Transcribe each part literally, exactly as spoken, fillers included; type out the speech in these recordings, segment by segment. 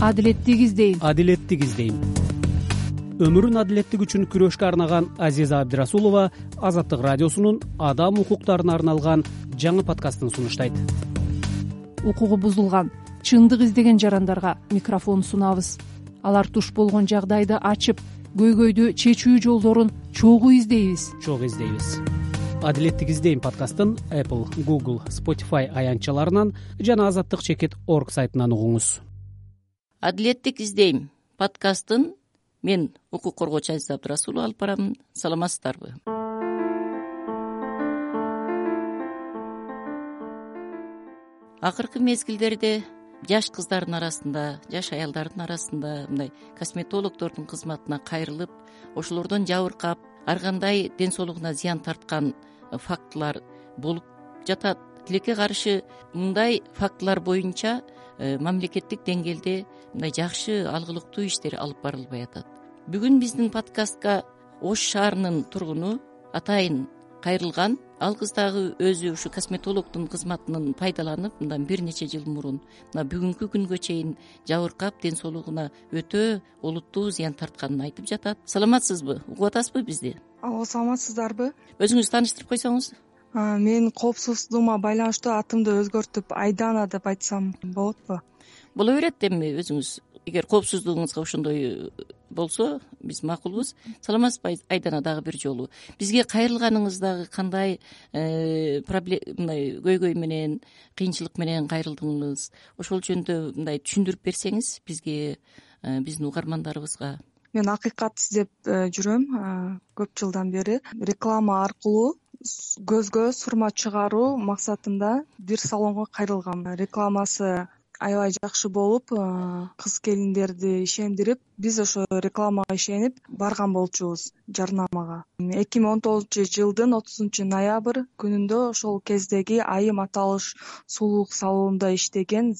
адилеттик издейм адилеттик издейм. Өмүрүн адилеттик үчүн күрөшкө арнаган Азиза Абдирасулова Азаттык радиосунун адам укуктарына арналган жаңы подкастын сунуштайт. Укугу бузулган, чындык издеген жарандарга микрофон сунабыз. Алар туш болгон жагдайды ачып, көйгөйдү чечүү жолдорун чогуу издейбиз. Чогуу издейбиз. Адилеттик издейм подкастын Apple, Google, Spotify аянтчаларынан жана азаттык чекит точка орг сайтынан угуңуз. Адилеттик издейм подкастын мен укук коргоочу Азиза Абдирасулова алып барамын. Саламатсыздарбы? Акыркы мезгилдерде жаш кыздардын арасында, жаш аялдардын арасында мындай косметологдордун кызматына кайрылып, ошолордон жабыркап, ар кандай ден соолугуна зыян тарткан фактылар болуп жатат. Тилекке каршы мындай фактылар боюнча мамлекеттик деңгээлде мындай жакшы алгылыктуу иштер алып барылбай атат. Бүгүн биздин подкастка Ош шаарынын тургуну атайын кайрылган. Ал кыз дагы өзү ушу косметологдун кызматынан пайдаланып, мындан бир нече жыл мурун мына бүгүнкү күнгө чейин жабыркап, ден соолугуна өтө олуттуу зыян тартканын айтып жатат. Саламатсызбы? Угуп атасызбы бизди? Алло, саламатсыздарбы? Өзүңүздү тааныштырып койсоңуз. Мен коопсуздугума байланыштуу атымды өзгөртүп Айдана деп айтсам болотпу? Боло берет. Эми өзүңүз эгер коопсуздугуңузга ошондой болсо биз макулбуз. Саламатсызбы Айдана? Дагы бир жолу бизге кайрылганыңыз дагы кандай проблема, мындай көйгөй менен, кыйынчылык менен кайрылдыңыз? Ошол жөнүндө мындай түшүндүрүп берсеңиз бизге, биздин угармандарыбызга. Мен акыйкат издеп жүрөм көп жылдан бери. Реклама аркылуу көзгө сурма чыгаруу максатында бир салонго кайрылгам. Рекламасы аябай жакшы болуп, кыз келиндерди ишендирип, биз ошо рекламага ишенип барган болчубуз жарнамага. эки миң он тогузунчу жылдын отузунчу ноябрь күнүндө ошол кездеги айым аталыш сулуулук салонунда иштеген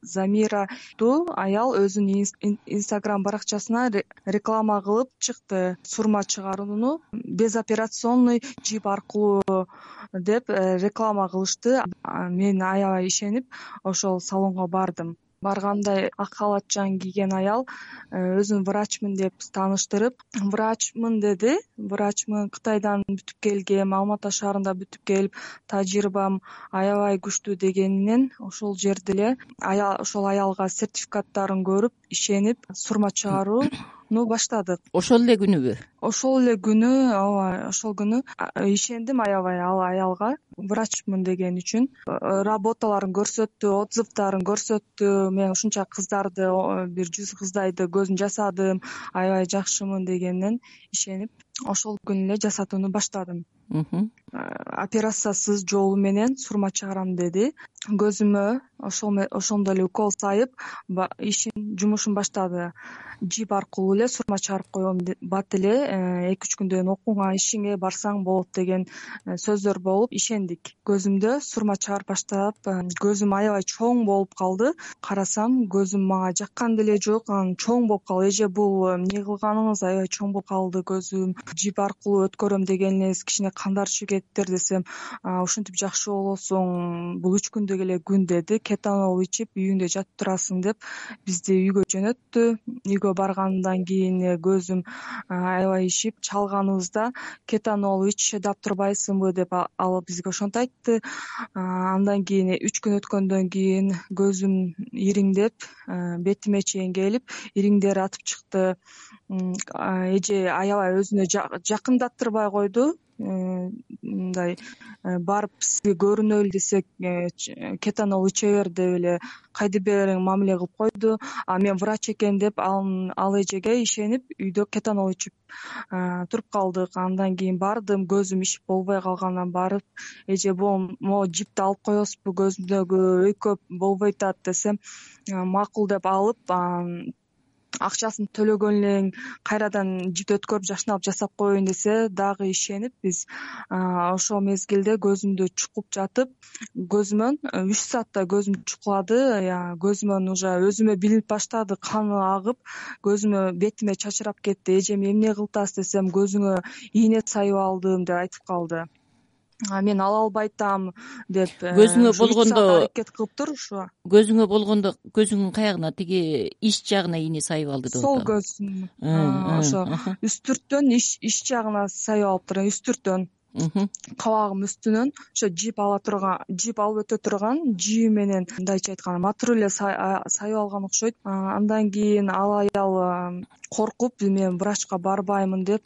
Замираттуу аял өзүнүн инстаграм баракчасына реклама кылып чыкты. Сурма чыгарууну безоперационный жип аркылуу деп реклама кылышты. Мен аябай ишенип ошол салонго бардым. Барганда ак халатчан кийген аял өзүн врачмын деп тааныштырып, врачмын деди. Врачмын, Кытайдан бүтүп келгем, Алма Ата шаарында бүтүп келип, тажрыйбам аябай күчтүү дегенинен ошол жерде эле аял ошол аялга сертификаттарын көрүп, ишенип сурма чыгарууну баштадык. Ошол эле күнүбү? Ошол эле күнү, ооба, ошол күнү ишендим аябай ал аялга врачмын деген үчүн. Работаларын көрсөттү, отзывдарын көрсөттү. Мен ушунча кыздарды, бир жүз кыздайды көзүн жасадым, аябай жакшымын дегенинен ишенип, ошол күнү эле жасатууну баштадым. Операциясыз жолу менен сурма чыгарам деди. Көзүмө ошол ошондой эле укол сайып, ишин, жумушун баштады. Жип аркылуу эле сурма чыгарып коем, бат эле эки үч күндөн окууга, ишиңе барсаң болот деген сөздөр болуп ишендик. Көзүмдө сурма чыгарып баштап, көзүм аябай чоң болуп калды. Карасам, көзүм мага жаккан деле жок, анан чоң болуп калды. Эже бул эмне кылганыңыз, аябай чоң болуп калды көзүм. Жип аркылуу өткөрөм деген элеңиз кичине кандар чөгөттөр десем, ушинтип жакшы болосуң, бул үч күндүк эле күн деди. Кетанол ичип үйүңдө жатып турасың деп бизди үйгө жөнөттү. Үйгө баргандан кийин көзүм аябай ишип, чалганыбызда кетанол ич, чыдап турбайсыңбы деп ал бизге ошентип айтты. Андан кийин үч күн өткөндөн кийин көзүм ириңдеп, бетиме чейин келип, ириңдери атып чыкты. Эже аябай өзүнө жакындаттырбай койду. Мындай барып сизге көрүнөлү десек, кетанол иче бер деп эле кайда бериң мамиле кылып койду. А мен врач экен деп ал эжеге ишенип, үйдө кетанол ичип туруп калдык. Андан кийин бардым, көзүм ишип болбой калгандан барып, эже могу жипти алып коесузбу, көзүмдөгү өйкөп болбой атат десем, макул деп алып, акчасын төлөгөн элең кайрадан жипти өткөрүп жакшынаап жасап коеюн десе дагы ишенип, биз ошол мезгилде көзүмдү чукуп жатып, көзүмөн үч саатта көзүм чукулады. Көзүмөн уже өзүмө билинип баштады, каны агып, көзүмө, бетиме чачырап кетти. Эжеме эмне кылтасыз десем, көзүңө ийне сайып алдым деп айтып калды. мен ала албай атам деп көзүңө болгондо аракет кылыптыр. Ушу көзүңө болгондо көзүңдүн каягына тиги ич жагына ийне сайып алды деп сол атам. көзүм ошо үстүрттөн ич жагына сайып алыптыр. Үстүрттөн кабагым үстүнөн ошо жип ала турган жип алып өтө турган жийи менен мындайча айтканда матур эле сайып алган окшойт. Андан кийин ал аял коркуп мен врачка барбаймын деп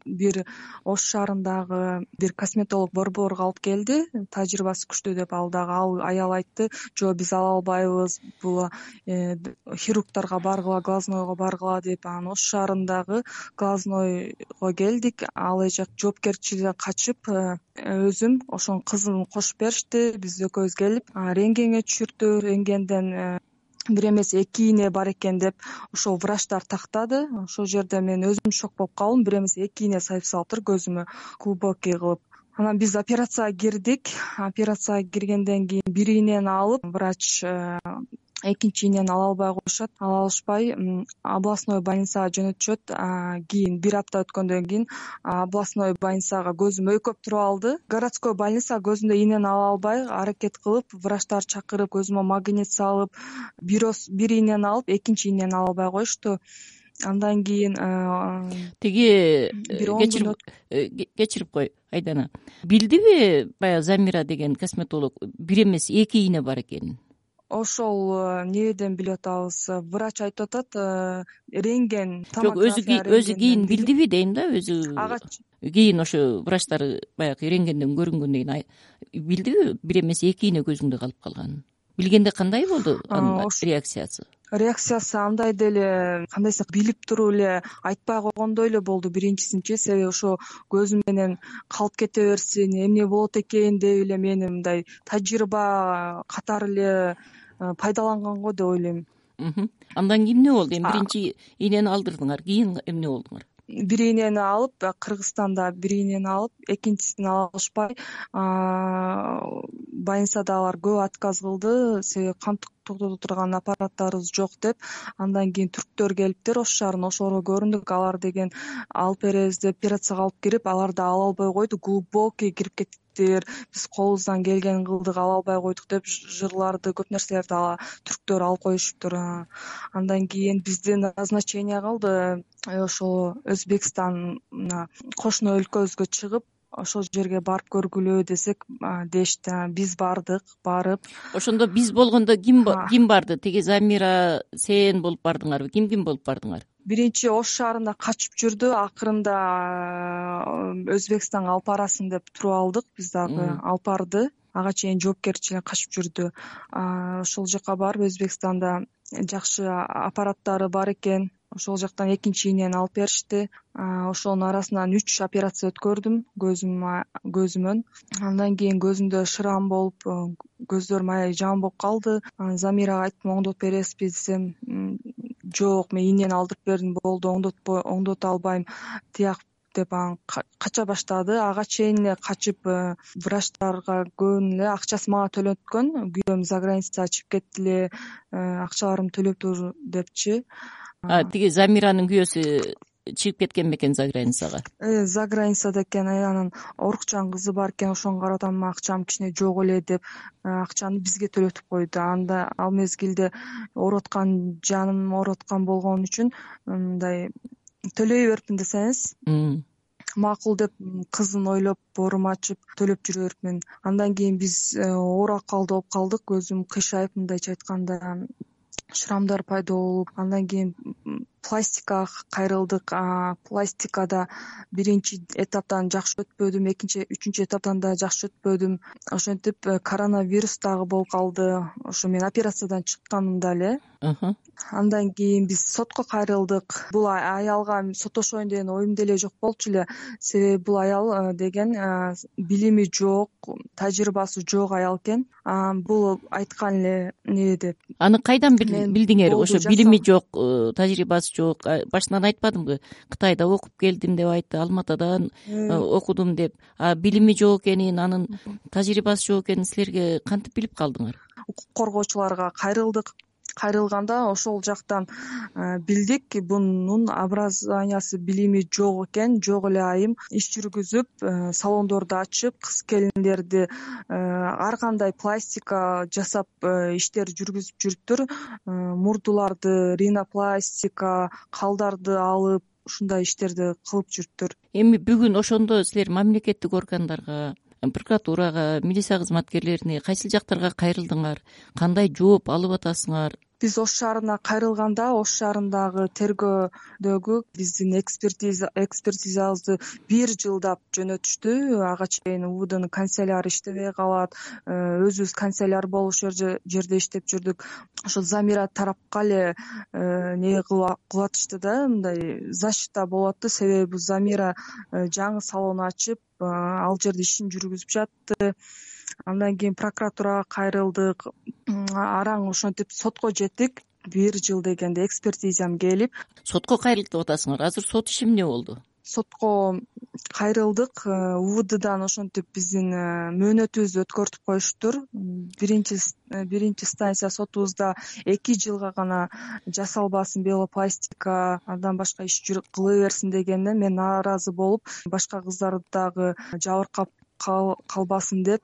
бир Ош шаарындагы бир косметолог борборго алып келди. Тажрыйбасы күчтүү деп ал дагы ал аял айтты, жок биз ала албайбыз, бул хирургдарга баргыла, глазнойго баргыла деп. Анан Ош шаарындагы глазнойго келдик. Ал эже жоопкерчиликтен качып өзүм ошонун кызын кошуп беришти. Биз экөөбүз келип рентгенге түшүрдү. Рентгенден бир эмес эки ийне бар экен деп ошол врачтар тактады. Ошол жерде мен өзүм шок болуп калдым. Бир эмес эки ийне сайып салыптыр көзүмө глубокий кылып. Анан биз операцияга кирдик. Операцияга киргенден кийин бир ийнени алып, врач экинчи ийнени ала албай коюшат. Ала алышпай областной больницага жөнөтүшөт. Кийин бир апта өткөндөн кийин областной больницага көзүм өйкөп туруп алды. Городской больница көзүмдө ийнени ала албай аракет кылып, врачтар чакырып, көзүмө магнит салып, бир ийнени алып, экинчи ийнени ала албай коюшту. Андан кийин тиги кечирип кой Айдана. Билдиби баягы Замира деген косметолог бир эмес эки ийне бар экенин? Ошол эмнеден билип атабыз? Врач айтып атат, рентген, жок, өзү өзү кийин билдиби дейм да, өзү ага кийин ошо врачтар баягы рентгенден көрүнгөндөн кийин билдиби бир эмес эки ийне көзүңдө калып калганын? Билгенде кандай болду анын реакциясы? Реакциясы андай деле кандайсы билип туруп эле айтпай койгондой эле болду биринчисинчи. Себеби ошо көзүм менен калып кете берсин, эмне болот экен деп эле мени мындай тажрыйба катары эле пайдаланганго деп ойлойм. Андан кийин эмне болду? Эми биринчи ийнени алдырдыңар, кийин эмне болдуңар? Бир ийнени алып, Кыргызстанда бир ийнени алып, экинчисин ала алышпай больницадагылар көп отказ кылды. Себеби кан токтото турган аппараттарыбыз жок деп. Андан кийин түрктөр келиптир Ош шаарына, ошолорго көрүндүк. Алар деген алып беребиз деп операцияга алып кирип, алар да ала албай койду. Глубокий кирип кеттиктир. Биз колубуздан келгенин кылдык, ала албай койдук деп жырларды, көп нерселерди ала түрктөр алып коюшуптур. Андан кийин бизде назначение калды. Ошол Өзбекстана кошуна өлкөбүзгө чыгып, ошол жерге барып көргүлө десек дешти. Биз бардык, барып. Ошондо биз болгондо ким ким барды? Тиги Замира, сен болуп бардыңарбы? Ким ким болуп бардыңар? Биринчи Ош шаарында качып жүрдү. Акырында Өзбекстанга алып барасын деп туруп алдык. Биз дагы алып барды. Ага чейин жоопкерчиликтен качып жүрдү. Ошол жака барып Өзбекстанда жакшы аппараттары бар экен. Ошол жактан экинчи ийнени алып беришти. Ошонун арасынан үч операция өткөрдүм көзүм көзүмөн. Андан кийин көзүмдө шрам болуп, көздөрүм аябай жаман болуп калды. Замирага айттым, оңдотуп бересизби десем, жок, мен ийнени алдырып бердим, болду, оңдотпой оңдото албайм, тияк деп анан кача баштады. Ага чейин эле качып, врачтарга көбүн эле акчасы мага төлөткөн. Күйөөм за границага чыгып кетти эле, акчаларымды төлөптүр депчи. Тиги Замиранын күйөөсү чыгып кеткен бекен за границага? За границада экен. Анан орукчан кызы бар экен, ошону карап атам, акчам кичине жок эле деп акчаны бизге төлөтүп койду. Анда ал мезгилде ооруп аткан, жаным ооруп аткан болгон үчүн мындай төлөй берипмин десеңиз. Макул деп кызын ойлоп боорум ачып төлөп жүрө берипмин. Андан кийин биз оор акалда болуп калдык. Көзүм кыйшайып, мындайча айтканда шрамдар пайда болуп, андан кийин пластикага кайрылдык. Пластикада биринчи этаптан жакшы өтпөдүм, экинчи, үчүнчү этаптан да жакшы өтпөдүм. Ошентип коронавирус дагы болуп калды. Ошо мен операциядан чыкканымда эле. Андан кийин биз сотко кайрылдык. Бул аялга соттошоюн деген оюм деле жок болчу эле. Себеби бул аял деген билими жок, тажрыйбасы жок аял экен. Бул айткан эле эмне деп. Аны кайдан билдиңер? Ошо билими жок, тажрыйбасы жок. Башынан айтпадымбы? Кытайда окуп келдим деп айтты, Алматадан окудум деп. А билими жок экенин, анын тажрыйбасы жок экенин силерге кантип билип калдыңар? Укук коргоочуларга кайрылдык. кайрылганда ошол жактан билдик бунун образованиясы билими жок экен. Жок эле айым иш жүргүзүп салондорду ачып кыз келиндерди ар кандай пластика жасап иштер жүргүзүп жүрүптүр. Мурдуларды ринопластика, калдарды алып ушундай иштерди кылып жүрүптүр. Эми бүгүн ошондо силер мамлекеттик органдарга, прокуратурага, милиция кызматкерлерине кайсыл жактарга кайрылдыңар, кандай жооп алып атасыңар? Биз Ош шаарына кайрылганда Ош шаарындагы тергөөдөгү биздин экспертиза экспертизабызды бир жылдап жөнөтүштү. Ага чейин УВДнын канцеляры иштебей калат. Өзүбүз канцеляр болуп ошол жерде иштеп жүрдүк. Ошо Замира тарапка эле не кылып атышты да, мындай защита болуп атты. Себеби Замира жаңы салон ачып, ал жерде ишин жүргүзүп жатты. Андан кийин прокуратурага кайрылдык. Араң ошентип сотко жеттик. Бир жыл дегенде экспертизам келип. Сотко кайрылдык деп атасыңар. Азыр сот иши эмне болду? Сотко кайрылдык. УВДдан ошентип биздин мөөнөтүбүздү өткөртүп коюштур. Биринчи биринчи станция сотубузда эки жылга гана жасалбасын белопластика, андан башка иш кыла берсин дегенде мен нааразы болуп, башка кыздарды дагы жабыркап калбасын деп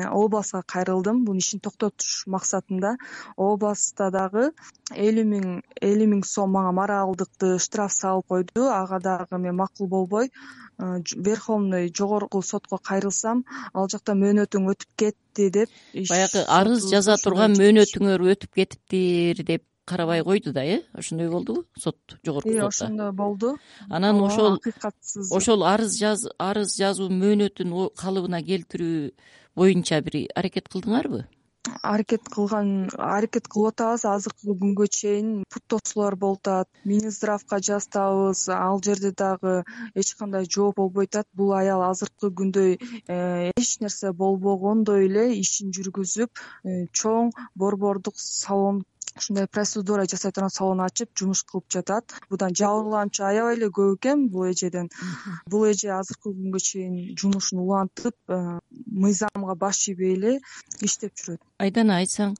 областка кайрылдым. Бунун ишин токтотуш максатында. Областта дагы элүү миң элүү миң сом мага моралдыкты штраф салып койду. Ага дагы мен макул болбой Верховный жогорку сотко кайрылсам, ал жакта мөөнөтүң өтүп кетти деп. Баягы арыз жаза турган мөөнөтүңөр өтүп кетиптир деп карабай койду да, э? Ошондой болдубу? Сот, жогорку сотто. Ошондой болду. Анан ошол акыйкатсыз ошол арыз жаз арыз жазуу мөөнөтүн калыбына келтирүү боюнча бир аракет кылдыңарбы? Аракет кылган, аракет кылып атабыз. Азыркы күнгө чейин пут тосуулар болуп атат. Минздравка жазабыз, ал жерде дагы эч кандай жооп болбой атат. Бул аял азыркы күндөй эч нерсе болбогондой эле ишин жүргүзүп, чоң борбордук салон, ушундай процедура жасай турган салон ачып жумуш кылып жатат. Будан жабырлануучу аябай эле көп экен бул эжеден. Бул эже азыркы күнгө чейин жумушун улантып, мыйзамга баш ийбей эле иштеп жүрөт. Айдана айтсаң,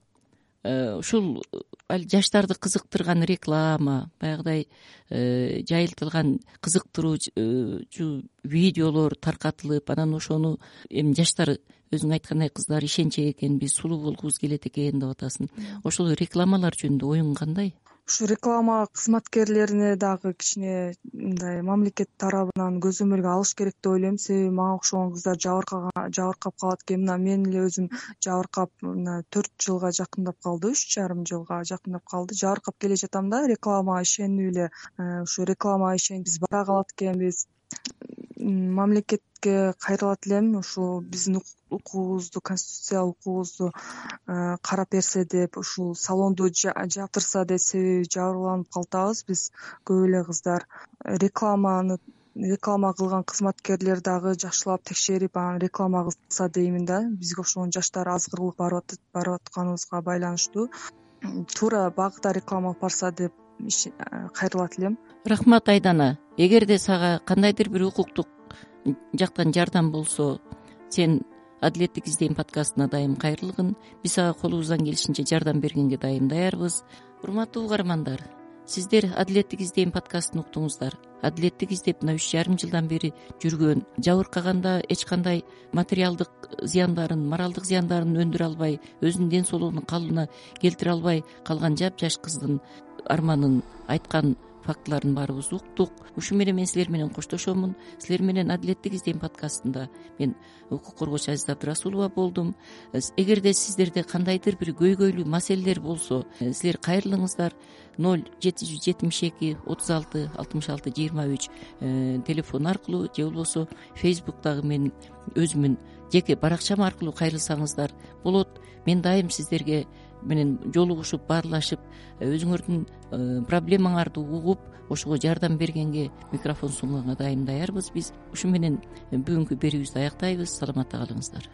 ушул жаштарды кызыктырган реклама, баягыдай жайылтылган кызыктыруучу видеолор таркатылып, анан ошону эми жаштар өзүң айткандай кыздар ишенчек экен, биз сулуу болгубуз келет экен деп атасың. Ошол рекламалар жөнүндө оюң кандай? Ушу реклама кызматкерлерине дагы кичине мындай мамлекет тарабынан көзөмөлгө алыш керек деп ойлойм. Себеби мага окшогон кыздар жабыркаган жабыркап калат экен. Мына мен эле өзүм жабыркап мына төрт жылга жакындап калды, үч жарым жылга жакындап калды. Жабыркап келе жатам да, рекламага ишенип эле. Ушу рекламага ишенип биз бара калат экенбиз. Мамлекетке кайрылат элем, ушул биздин укугубузду, конституциялык укугубузду карап берсе деп, ушул салонду жаптырса деп, себеби жабырланып калатабыз биз көп эле кыздар. Рекламаны реклама кылган кызматкерлер дагы жакшылап текшерип, анан реклама кылса деймин да. Бизге окшогон жаштар азгырылып барып атканыбызга байланыштуу. Туура багытта реклама алып барса деп кайрылат элем. Рахмат Айдана. Эгерде сага кандайдыр бир укуктук жактан жардам болсо, сен Адилеттик издейм подкастына дайым кайрылгын. Биз сага колубуздан келишинче жардам бергенге дайым даярбыз. Урматтуу угармандар, сиздер Адилеттик издейм подкастын уктуңуздар. Адилеттик издеп мына үч жарым жылдан бери жүргөн, жабыркаганда эч кандай материалдык зыяндарын, моралдык зыяндарын өндүрө албай, өзүнүн ден соолугунун калыбына келтире албай калган жапжаш кыздын арманын айткан фактыларын баарыбыз уктук. Ушу менен мен силер менен коштошомун. Силер менен Адилеттик издейм подкастында мен укук коргоочу Азиза Абдрасулова болдум. Эгерде сиздерде кандайдыр бир көйгөйлүү маселелер болсо, силер кайрылыңыздар. ноль жети жүз жетимиш эки отуз алты алтымыш алты жыйырма үч телефон аркылуу же болбосо Facebook'тагы мен өзүмүн жеке баракчам аркылуу кайрылсаңыздар болот. Мен дайым сиздерге менен жолугушуп, баарлашып, өзүңөрдүн проблемаңарды угуп, ошого жардам бергенге, микрофон сунганга дайым даярбыз биз. Ушу менен бүгүнкү берүүбүздү аяктайбыз. Саламатта калыңыздар.